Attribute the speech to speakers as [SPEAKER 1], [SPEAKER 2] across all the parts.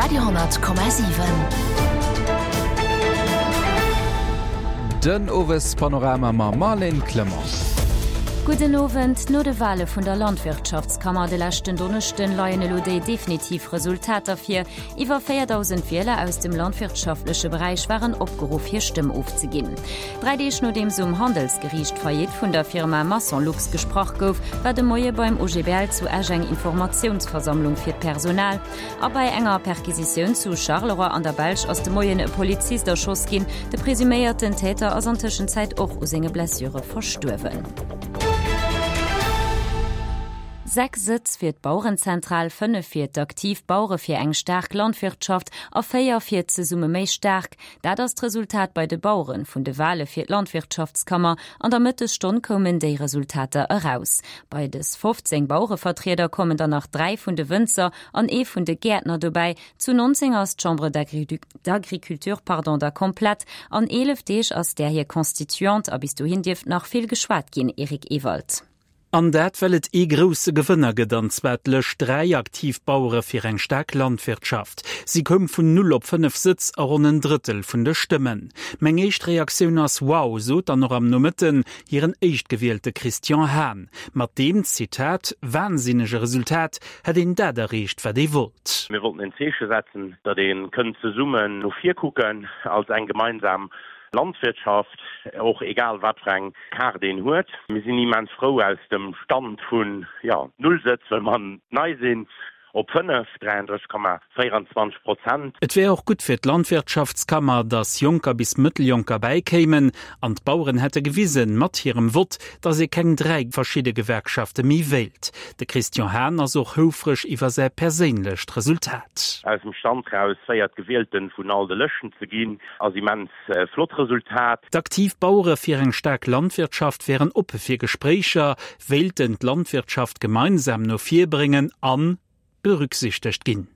[SPEAKER 1] Radio,7.
[SPEAKER 2] Den Owespanorama mam Marlène Clement.
[SPEAKER 3] Gudden Owend. No de Wale vun der Landwirtschaftskammer de leschten Donneschden leien elo déi definitiv Resultater vir. Iwwer 4.000 Wieler aus dem landwirtschaftleche Beräich waren opgeruff hir Stëmm ofzeginn. Dräi Deeg nodeems um Handelsgeriicht d'Faillite vun der Firma Massonlux gesprach gouf, war de Moie beim OGBL zu Esch eng Informatiounsversammlung fir d'Personal. A bei enger Perquisitioun zu Charleroi an der Belsch ass de Moien e Polizist erschoss ginn. De presuméierten Täter ass an Tëschenzäit och u senge Blessure verstuerwen. 6 Sëtz fir d'Bauerenzentral, 5 fir d'Aktiv Bauere fir eng staark Landwirtschaft a 4 fir Zesumme méi staark. Dat ass d'Resultat bei de Baueren vun de Wale fir d'Landwirtschaftskammer. An der Mëttesstonn koumen déi Resultater eraus. Bei des 15 Bauerevertrieder kommen dann nach 3 vun de Wënzer an ee vun de Gäertner dobäi. Zu 19 ass d'Chambre d'Agriculture pardon da komplett. An 11 Deeg ass där hir Constituante a bis dohin dierft nach vill geschwat ginn, Eric Ewald.
[SPEAKER 4] An dat well et ee grousse Gewënner gëtt, an zwar d'Lëscht 3, Aktiv Bauere fir eng staark Landwirtschaft. Si koum vun null op 5 Sëtz a ronn en Drëttel vun de Stëmmen. Meng éischt Reaktioun ass Wow, sot dann och am Nomëtten hiren Éischtgewielte Christian Hahn. Mat deem, Zitat, wahnsinnege Resultat hätt een dat erreecht, wat ee wollt.
[SPEAKER 5] Mir wollten en Zeeche setzen, datt ee kënnt zesummen no vir kucken als eng gemeinsam Landwirtschaft, och egal wat fir eng Kaart een huet. Mir sinn immens frou aus dem Stand vun, jo, null Sëtz, well mer nei sinn, op 5, 33,24 Prozent.
[SPEAKER 4] Et wär och gutt fir d'Landwirtschaftskammer, datt Jonker bis Mëtteljonker bäikéimen. An d'Baueren hätte gewisen, mat hirem Vott, datt ee keng 3 verschidde Gewerkschafte méi wéilt. De Christian Hahn ass och houfreg iwwer säi perséinlecht Resultat.
[SPEAKER 5] Aus dem Stand raus véiert Gewielten vun all de Lëschten ze ginn, Ass immens flott Resultat.
[SPEAKER 4] D'aktiv Bauere fir eng staark Landwirtschaft wären oppe fir Gespréicher, wéilten d'Landwirtschaft gemeinsam no vir bréngen an berücksichtegt ginn.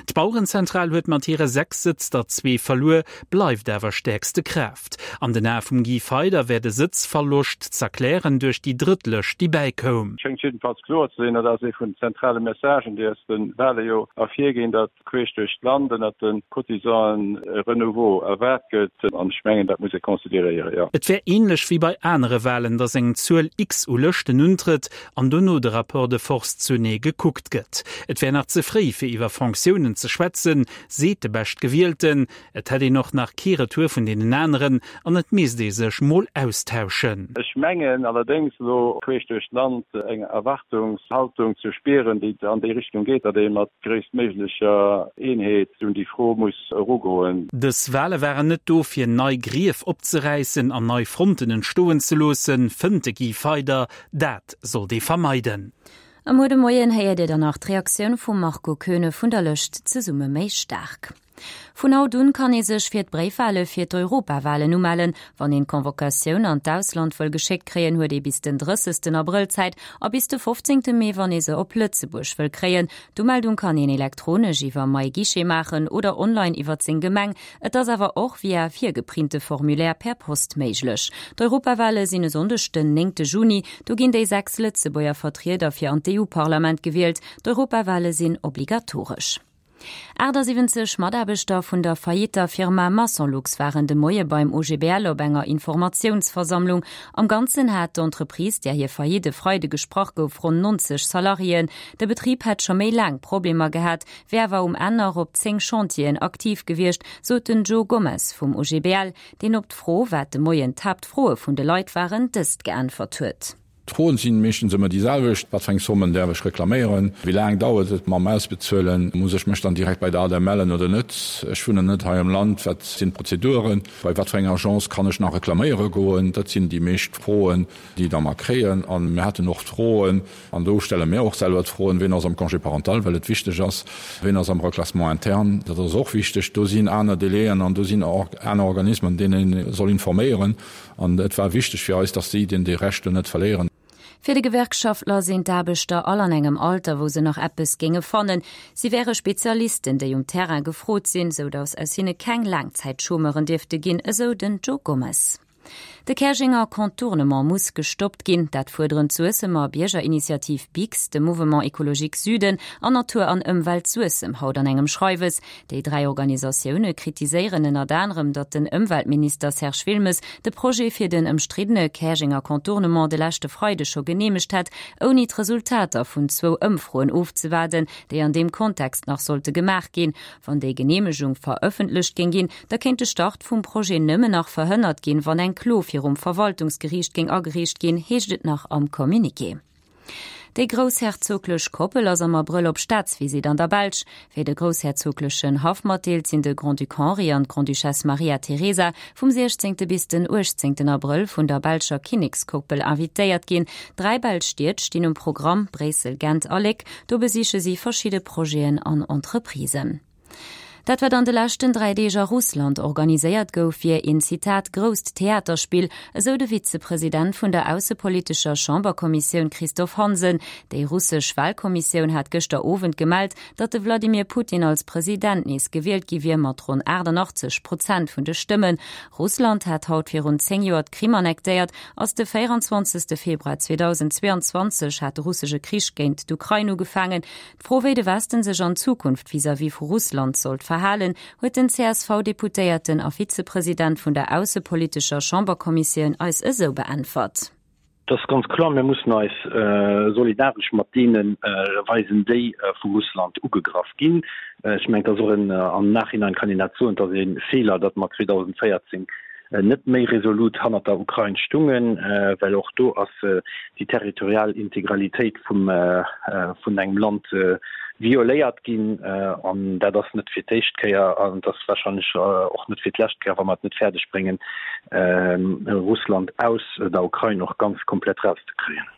[SPEAKER 4] D'Bauerenzentral huet mat hire 6 Sëtz der zwee verluer, bleift awer stäerkste Kraaft. An den Ae vum Guy Feyder wär de Sëtzverloscht z'erklären duerch déi drëtt Lëscht déi bäikoum.
[SPEAKER 6] Schéngt jiddefalls kloer ze sinn, dat ass ee vun den zentrale Messagen, déi aus de Wale jo ervirginn, datt queesch duerch d'Land ënnert de Cotisanten e Renouveau erwaart gëtt. An ech mengen, dat muss ee consideréieren, jo.
[SPEAKER 4] Et wär ähnlech wéi bei anere Walen, datt eng Zuel X u Lëschten untrëtt an dono de Rapport de force zunee gekuckt gëtt. Et wär nach ze fréi, fir iwwer Fonctiounen ze schwätzen, seet de Beschtgewielten. Et hätt een och nach kee Retour vun deenen aneren an et misst ee sech mol austauschen.
[SPEAKER 6] Ech mengen allerdéngs elo queesch duerch d'Land eng Erwartungshaltung ze spieren, déi an déi Richtung geet, datt ee mat gréisstméiglecher Eenheet un déi Fro muss erugoen.
[SPEAKER 4] Dës Wale waren net do, fir nei Grief opzeräissen an nei Fronten entstoen ze loossen, fënnt de Guy Feyder. Dat sollt ee vermeiden.
[SPEAKER 3] A muer de Moien héiert Dir dann nach d'Reaktioun vum Marco Koeune vun der Lëscht Zesumme méi staark. Vun haut un kann ee sech fir d'Bréifwale fir d'Europawalen umellen. Wann een d'Convocatioun an d'Ausland wëll geschéckt kréien, huet ee bis den 30 Abrëll Zäit a bis de 15 Mee, wann ee se op Lëtzebuerg wëll kréien. D'Umeldung kann een elektronesch iwwer MyGuichet maachen oder online iwwer seng Gemeng. Et ass awer och via virgeprinte Formulaire per Post méiglech. D'Europawale sinn e Sonndeg den 9 Juni. Do ginn déi 6 Lëtzebuerger Vertrieder fir an d'EU-Parlament gewielt. D'Europawale sinn obligatoresch. 78 Mataarbechter vun der faillitter Firma Massonlux waren de Moie beim OGBL op enger Informatiounsversammlung. Am Ganzen hat d'Entreprise, där hir Faillite e Freide gesprach gouf, ronn 90 Salariéen. De Betrib hätt scho méi laang Problemer gehat, wär awer um Enn nach op 10 Chantieren aktiv gewiescht, sot den Joe Gomez vum OGBL, deen op d'Fro, wat de Moien d'Haaptfroe vun de Leit waren, dëst geäntwert huet.
[SPEAKER 7] D'Froen sinn meeschtens ëmmer déi selwecht, Wat fir eng Sommen däerf ech reklaméieren? Wéi laang dauert et mam Ausbezuelen? Muss ech mech dann direkt bei der ADEM mellen oder net? Ech wunnen net hei am Land, wat sinn d'Prozeduren? Bei wat fir enger Agence kann ech nach reklaméiere goen? Dat sinn déi meescht Froen, déi da mer kréien. A mir haten och d'Froen, an do stelle mir och selwer d'Froen, Ween ass am Congé parental, well et wichteg ass? Ween ass am Reclassement interne? Dat ass och wichteg. Do sinn aner Délaiën an do sinn aner Organismen, deenen ee soll informéieren. An et war wichteg fir eis, dass si deen dee Recht do net verléieren.
[SPEAKER 3] Fir de Gewerkschaftler sinn d'Aarbechter all an engem Alter, wou se nach eppes géinge fannen. Si wäre Spezialisten, déi um Terrain gefrot sinn, sou datt aus hinne keng Laangzäitchômeuren dierfte ginn, esou den Joe Gomez. De Käerjenger Contournement muss gestoppt ginn, dat fuerderen d'Suessemer Biergerinitiativ BIGS, de Mouvement Ecologique Süden an Natur an Ëmwelt Suessem haut an engem Schreiwes. Déi 3 Organisatioune kritiséieren ënnert anerem, datt den Ëmweltminister Serge Wilmes de Projet fir den ëmstriddene Käerjenger Contournement de leschte Freideg scho geneemegt hätt, ouni d'Resultater vun zwou Ëmfroen ofzewaarden, déi an deem Kontext nach sollte gemaach ginn. Wann déi Geneemegung verëffentlecht géing ginn, da kéint de Start vum Projet nëmmen nach verhënnert ginn, wann eng Klo virum Verwaltungsgeriicht géing agereecht ginn, heescht et nach am Communiqué. Déi groussherzoglech Koppel ass am Abrëll op Staatsvisitt an der Belsch. Wéi de groussherzoglechen Haff matdeelt, sinn de Grand-Duc Henri an d'Grande-Duchesse Maria Teresa vum 16. Bis den 18. Abrëll vun der belscher Kinnekskoppel invitéiert ginn. Dräi belsch Stied stinn um Programm, Bréissel, Gent a Léck. Do besiche si verschidde Projeten an Entreprisen. Dat wat an de leschten 3 Deeg a Russland organiséiert gouf, wier een, Zitat, grousst Theaterspill, esou de Vizepresident vun der aussepolitescher Chamberkommissioun Christophe Hansen. Déi russesch Walkommissioun hat gëschter Owend gemellt, datt de Wladimir Putin als President nees gewielt gi wier, mat ronn 88 Prozent vun de Stëmmen. Russland hat haut virun 10 Joer d'Krim annektéiert. Ass de 24. Februar 2022 hat de russesche Krich géint d'Ukrain ugefaangen. D'Fro, wéi de Westen sech an Zukunft vis-à-vis vu Russland sollt verhalen, huet den CSV-Deputéierten a Vizepresident vun der aussepolitescher Chamberkommissioun eis esou beäntwert.
[SPEAKER 1] Et ass ganz kloer, mir mussen eis solidaresch mat deene weisen, déi vu Russland ugegraff ginn. Ech mengen, et ass och en, am Nachhinein kann een dat soen, et ass e Feeler, datt mer 2014 net méi resolut hannert der Ukrain stungen, well och do ass déi territorial Integralitéit vum vun engem Land violéiert ginn. An dat ass net fir d'éischt Kéier an et ass wahrscheinlech och net fir d'lescht Kéier, wa mer et net fäerdeg bréngen, Russland aus der Ukrain och ganz komplett erauszekréien.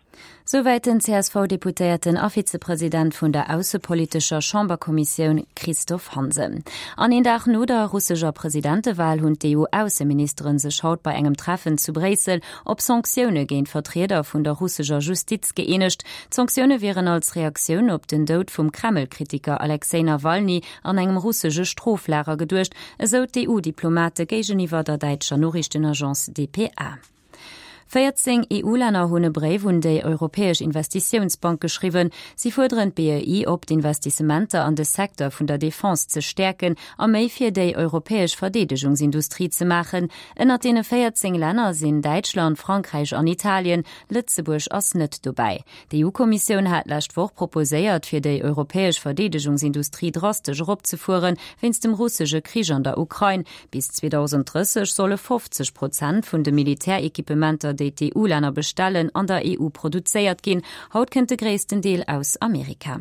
[SPEAKER 3] Souwäit den CSV-Deputéierten a Vizepresident vun der aussepolitescher Chamberkommissioun Christophe Hansen. An een Dag no der russescher Presidentewal hunn d'EU-Ausseministere sech haut bei engem Treffen zu Bréissel op Sanktioune géint Vertrieder vun der russescher Justiz gëeenegt. D'Sanktioune wieren als Reaktioun op den Doud vum Kreml-Kritiker Alexej Nawalny an engem russesche Stroflager geduecht, esou d'EU-Diplomate géigeniwwer der däitscher Noriichtenagence dpa. 14 EU-Länner hunn e Bréif un déi Europäesch Investitiounsbank geschriwwen. Si fuerderen d'BEI op, d'Investissementer an de Secteur vun der Defense ze stäerken a méi fir déi europäesch Verdeedegungsindustrie ze maachen. Ënnert deene 14 Länner sinn Däitschland, Frankräich an Italien. Lëtzebuerg ass net dobäi. D'EU-Kommissioun hat d'lescht Woch proposéiert, fir déi europäesch Verdeedegungsindustrie drastesch eropzefueren, wéinst dem russesche Krich an der Ukrain. Bis 2030 solle 50 Prozent vun de Militärequipementer, déi d'EU-Länner bestellen, an der EU produzéiert ginn. Haut kënnt de gréissten Deel aus Amerika.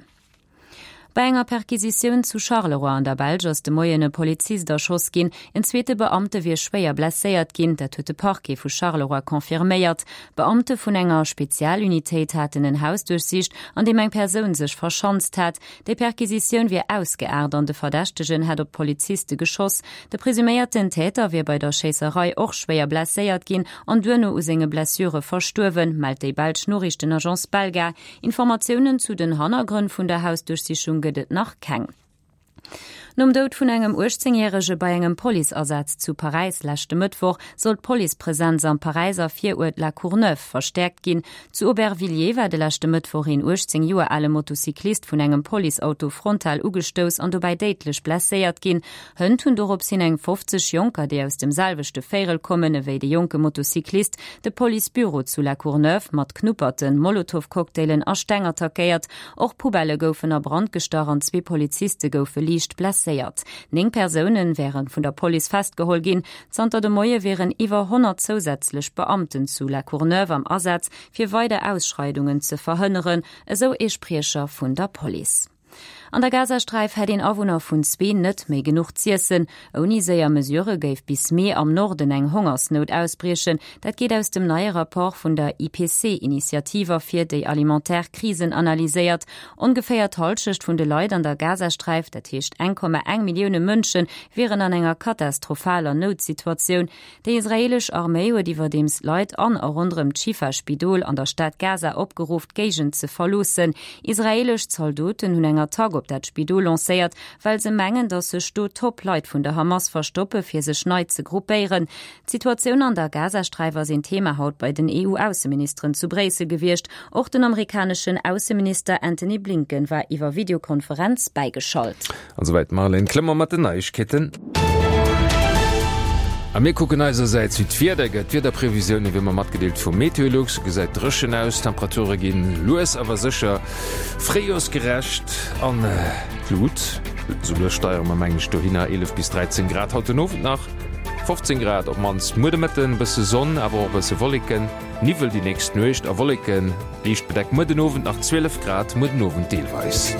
[SPEAKER 3] Bei enger Perquisitioun zu Charleroi an der Belsch ass de Moien e Polizist erschoss ginn. En zweete Beamte wier schwéier blesséiert ginn, dat huet de Parquet vu Charleroi confirméiert. Beamte vun enger Spezialunitéit haten en Haus duerchsicht, an deem eng Persoun sech verschanzt hat. Déi Perquisitioun wier ausgeaart an de Verdächtegen hätt op d'Poliziste geschoss. De presuméierten Täter wier bei der Schéisserei och schwéier blesséiert ginn an duerno u senge Blessure verstuerwen, mellt déi belsch Noriichtenagence Belga. Informatiounen zu den Hannergrënn vun der Hausduerchsichung gëtt et nach keng. Nom Doud vun engem 18 Järege bei engem Policeasaz zu Paräis leschte Mëttwoch soll d'Policepresenz am Paräiser Viruert La Courneuve verstäerkt ginn. Zu Aubervilliers war de leschte Mëttwoch een 18 Joer ale Motocyclist vun engem Policeauto frontal ugestouss an dobäi déidlech blesséiert ginn. Hënt hunn dorops hin eng 50 Jonker, déi aus dem selwechte Véirel kommen ewéi de jonke Motocyclist, de Policebüro zu La Courneuve mat Knupperten, Molotowcocktailen a Steng attackéiert. Och Poubellë goufen a Brand gestach an zwee Poliziste goufe liicht blesséiert. 9 Persoune wäre vun der Police festgeholl ginn. Zanter de Moie wieren iwwer 100 zousätzlech Beamten zu La Courneuve am Asaz, fir weider Ausschreidungen ze verhënneren, esou ee Spriecher vun der Police. An der Gazasträif hätt een Awunner vun zwee net méi genuch z'iessen. Ouni séier Mesurë géif bis Mee am Norden eng Hongersnout ausbriechen. Dat geet aus dem neie Rapport vun der IPC-Initiativ ervir, déi alimentaire Krisen analyséiert. Ongeféier d'Hallschecht vun de Leit an der Gazasträif, dat heescht 1,1 Millioune Mënschen, wieren an enger katastrophaler Noutsituatioun. Déi israeelesch Arméi huet iwwerdeems d'Leit an a ronderëm d'Schifa-Spidol an der Stad Gaza opgeruff, d'Géigend ze verloossen. Israeelesch Zaldoten hunn eng Attack. op dat Spidol lancéiert, well se mengen, datt sech do Top-Leit vun der Hamas verstoppe fir sech nei ze gruppéieren. D'Situatioun an der Gazasträif ass een Thema haut bei den EU-Ausseministeren zu Bréissel gewiescht. Och den amerikaneschen Ausseminister Antony Blinken war iwwer Videokonferenz bäigeschalt.
[SPEAKER 8] An souwäit d'Marlène Clement mat den Neiegkeeten. A mir kucken eisersäits, wéi d'Wieder gëtt. D'Wiederprevisioune wéi ëmmer matgedeelt vu Meteolux. Et gesäit dréchen aus, d'Temperature ginn lues awer sécher fréijorsgerecht an d'Lut. Esou lues steiere mer mengen ech dohinner, 11 bis 13 Grad haut den Owend nach, 15 Grad op d'mannst muer de Mëtten, bësse Sonn awer och e bësse Wolleken, Niwwel déi nächst Nuecht a Wolleken, liicht bedeckt muer den Owend nach 12 Grad muer den Owend deelweis.